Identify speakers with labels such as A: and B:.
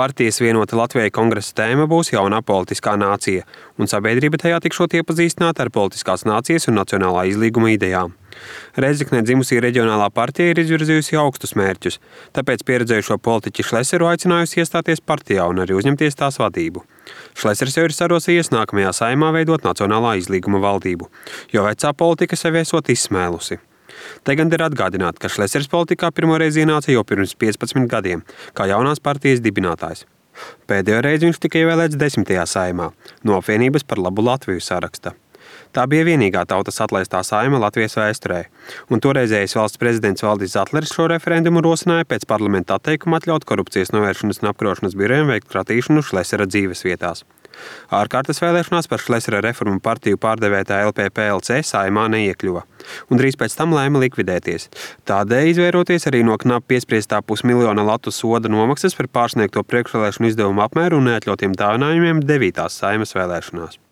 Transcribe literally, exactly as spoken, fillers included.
A: Partijas Vienota Latvija kongresa tēma būs jaunā politiskā nācija, un sabiedrība tajā tikšot iepazīstināta ar politiskās nācijas un nacionālā izlīguma idejām. Rēzeknē dzimusī reģionālā partija ir izvirzījusi augstus mērķus, tāpēc pieredzējušo politiķi Šleseru aicinājusi iestāties partijā un arī uzņemties tās vadību. Šlesers jau ir sarosījies nākamajā saimā veidot nacionālā izlīguma valdību, jo vecā politika sev esot izsmēlusi. Te gan ir atgādināt, ka Šlesers politikā pirmoreiz ienāca jau pirms piecpadsmit gadiem, kā jaunās partijas dibinātājs. Pēdējo reizi viņš tika ievēlēts desmitajā saimā, no apvienības par labu Latviju saraksta. Tā bija vienīgā tautas atlaistā saima Latvijas vēsturē, un toreizējais valsts prezidents Valdis Zatlers šo referendumu rosināja pēc parlamenta atteikuma atļaut korupcijas novēršanas un apkarošanas birojiem veikt kratīšanu Šlesera dzīves vietās. Ārkārtas vēlēšanās par Šlesera reformu partiju pārdevētā L P P L C saimā neiekļuva, un drīz pēc tam lēma likvidēties. Tādēļ izvēroties arī no knapi piespriestā pusmiljona latu soda nomaksas par pārsniegto priekšvēlēšanu izdevumu apmēru un neatļautiem dāvinājumiem devītās saimas vēlēšanās.